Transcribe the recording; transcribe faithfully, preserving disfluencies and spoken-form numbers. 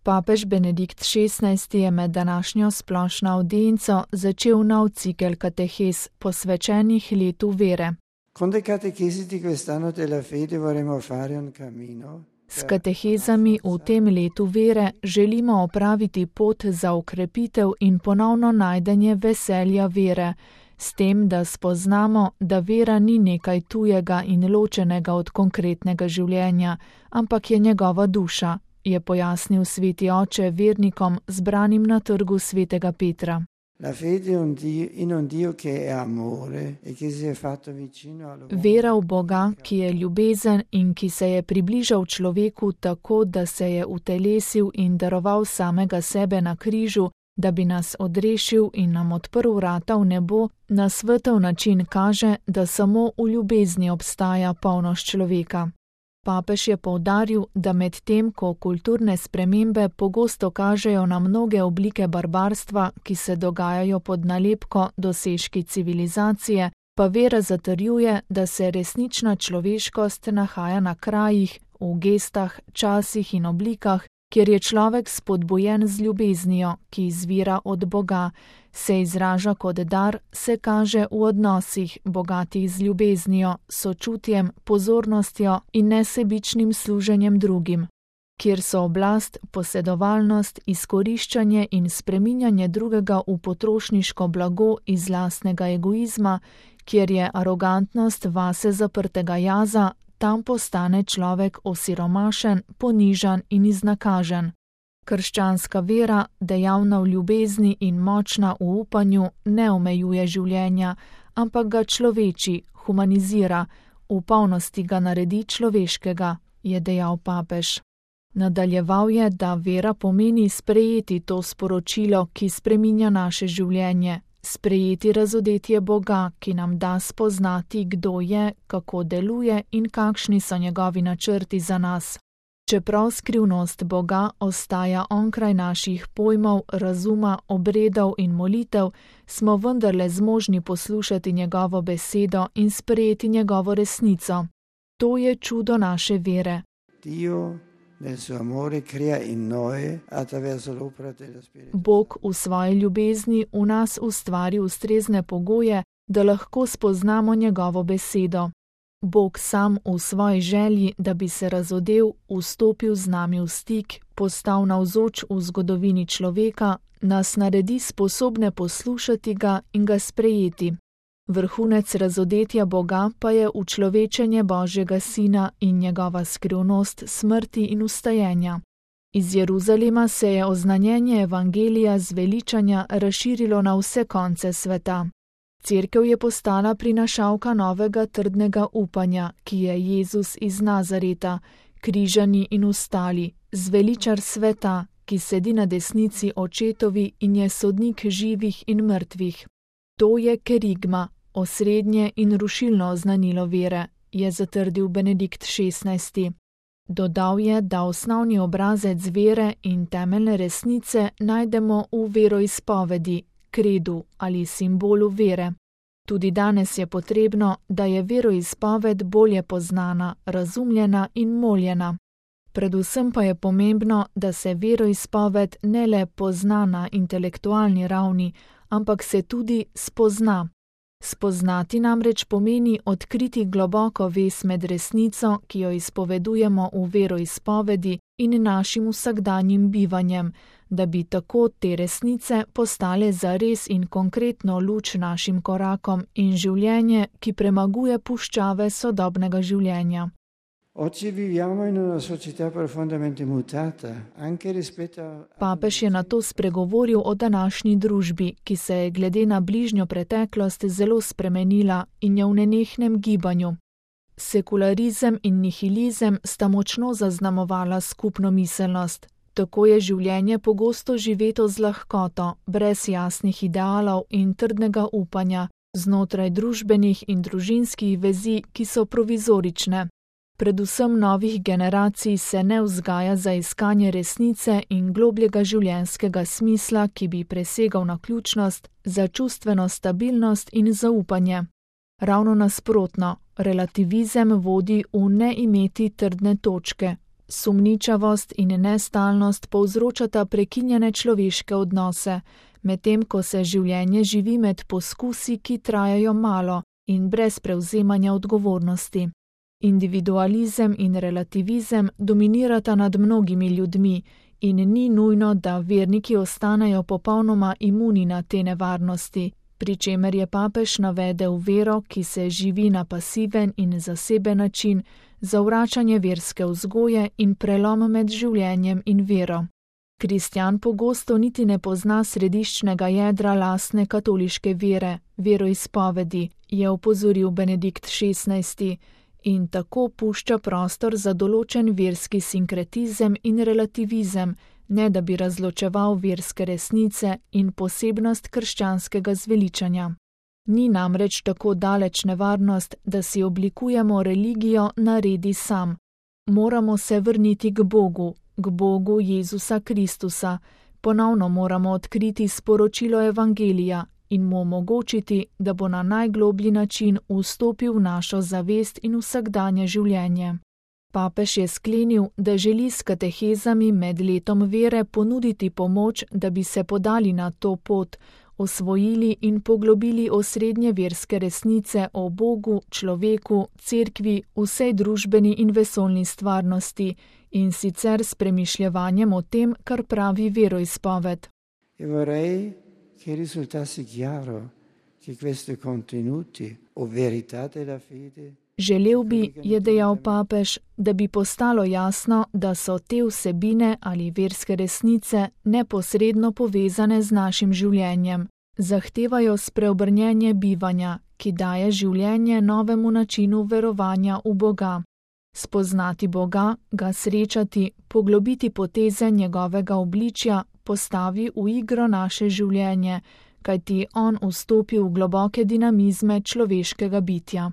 Papež Benedikt šestnajsti je med današnjo splošno avdienco začel nov cikel katehes, posvečenih letu vere. S katehezami v tem letu vere želimo opraviti pot za okrepitev in ponovno najdenje veselja vere, s tem, da spoznamo, da vera ni nekaj tujega in ločenega od konkretnega življenja, ampak je njegova duša, je pojasnil sveti oče vernikom zbranim na trgu svetega Petra. Vera v Boga, ki je ljubezen in ki se je približal človeku tako, da se je utelesil in daroval samega sebe na križu, da bi nas odrešil in nam odprl vrata v nebo, na svetov način kaže, da samo v ljubezni obstaja polnost človeka. Papež je poudaril, da med tem, ko kulturne spremembe pogosto kažejo na mnoge oblike barbarstva, ki se dogajajo pod nalepko dosežki civilizacije, pa vera zatrjuje, da se resnična človeškost nahaja na krajih, v gestah, časih in oblikah, kjer je človek spodbujen z ljubeznijo, ki izvira od Boga, se izraža kot dar, se kaže v odnosih, bogatih z ljubeznijo, sočutjem, pozornostjo in nesebičnim služenjem drugim, kjer so oblast, posedovalnost, izkoriščanje in spreminjanje drugega v potrošniško blago iz lastnega egoizma, kjer je arogantnost vase zaprtega jaza, tam postane človek osiromašen, ponižan in iznakažen. Krščanska vera, dejavna v ljubezni in močna v upanju, ne omejuje življenja, ampak ga človeči, humanizira, v polnosti ga naredi človeškega, je dejal papež. Nadaljeval je, da vera pomeni sprejeti to sporočilo, ki spreminja naše življenje, sprejeti razodetje Boga, ki nam da spoznati, kdo je, kako deluje in kakšni so njegovi načrti za nas. Čeprav skrivnost Boga ostaja onkraj naših pojmov, razuma, obredov in molitev, smo vendarle zmožni poslušati njegovo besedo in sprejeti njegovo resnico. To je čudo naše vere. Bog v svoji ljubezni v nas ustvari ustrezne pogoje, da lahko spoznamo njegovo besedo. Bog sam v svoji želji, da bi se razodel, vstopil z nami v stik, postal navzoč v zgodovini človeka, nas naredi sposobne poslušati ga in ga sprejeti. Vrhunec razodetja Boga pa je učlovečenje Božjega Sina in njegova skrivnost smrti in vstajenja. Iz Jeruzalema se je oznanjenje evangelija zveličanja razširilo na vse konce sveta. Cerkev je postala prinašalka novega trdnega upanja, ki je Jezus iz Nazareta, križani in ostali, zveličar sveta, ki sedi na desnici očetovi in je sodnik živih in mrtvih. To je kerigma, osrednje in rušilno oznanilo vere, je zatrdil Benedikt šestnajsti. Dodal je, da osnovni obrazec vere in temeljne resnice najdemo v veroizpovedi, kredu ali simbolu vere. Tudi danes je potrebno, da je veroizpoved bolje poznana, razumljena in moljena. Predvsem pa je pomembno, da se veroizpoved ne le pozna na intelektualni ravni, ampak se tudi spozna. Spoznati namreč pomeni odkriti globoko vez med resnico, ki jo izpovedujemo v veroizpovedi, in našim vsakdanjim bivanjem, da bi tako te resnice postale zares in konkretno luč našim korakom in življenje, ki premaguje puščave sodobnega življenja. Papež je nato spregovoril o današnji družbi, ki se je glede na bližnjo preteklost zelo spremenila in je v nenehnem gibanju. Sekularizem in nihilizem sta močno zaznamovala skupno miselnost. Tako je življenje pogosto živeto z lahkoto, brez jasnih idealov in trdnega upanja, znotraj družbenih in družinskih vezi, ki so provizorične. Predvsem novih generacij se ne vzgaja za iskanje resnice in globljega življenjskega smisla, ki bi presegal naključnost, za čustveno stabilnost in zaupanje. Ravno nasprotno, relativizem vodi v ne imeti trdne točke, Sumničavost in nestalnost povzročata prekinjene človeške odnose, medtem ko se življenje živi med poskusi, ki trajajo malo in brez prevzemanja odgovornosti. Individualizem in relativizem dominirata nad mnogimi ljudmi in ni nujno, da verniki ostanejo popolnoma imuni na te nevarnosti, pri čemer je papež navedel vero, ki se živi na pasiven in zaseben način, zavračanje verske vzgoje in prelom med življenjem in vero. Kristjan pogosto niti ne pozna središčnega jedra lastne katoliške vere, veroizpovedi, je opozoril Benedikt šestnajsti, in tako pušča prostor za določen verski sinkretizem in relativizem, ne da bi razločeval verske resnice in posebnost krščanskega zveličanja. Ni namreč tako daleč nevarnost, da si oblikujemo religijo na redi sam. Moramo se vrniti k Bogu, k Bogu Jezusa Kristusa, ponovno moramo odkriti sporočilo Evangelija in mu omogočiti, da bo na najgloblji način vstopil v našo zavest in vsakdanje življenje. Papež je sklenil, da želi s katehezami med letom vere ponuditi pomoč, da bi se podali na to pot, osvojili in poglobili osrednje verske resnice o Bogu, človeku, cerkvi, vsej družbeni in vesoljni stvarnosti, in sicer s premišljevanjem o tem, kar pravi veroizpoved. Che risultasse chiaro che questi contenuti o verità della fede. Želel bi, je dejal papež, da bi postalo jasno, da so te vsebine ali verske resnice neposredno povezane z našim življenjem. Zahtevajo spreobrnjenje bivanja, ki daje življenje novemu načinu verovanja v Boga. Spoznati Boga, ga srečati, poglobiti poteze njegovega obličja, postavi v igro naše življenje, kajti on vstopi v globoke dinamizme človeškega bitja.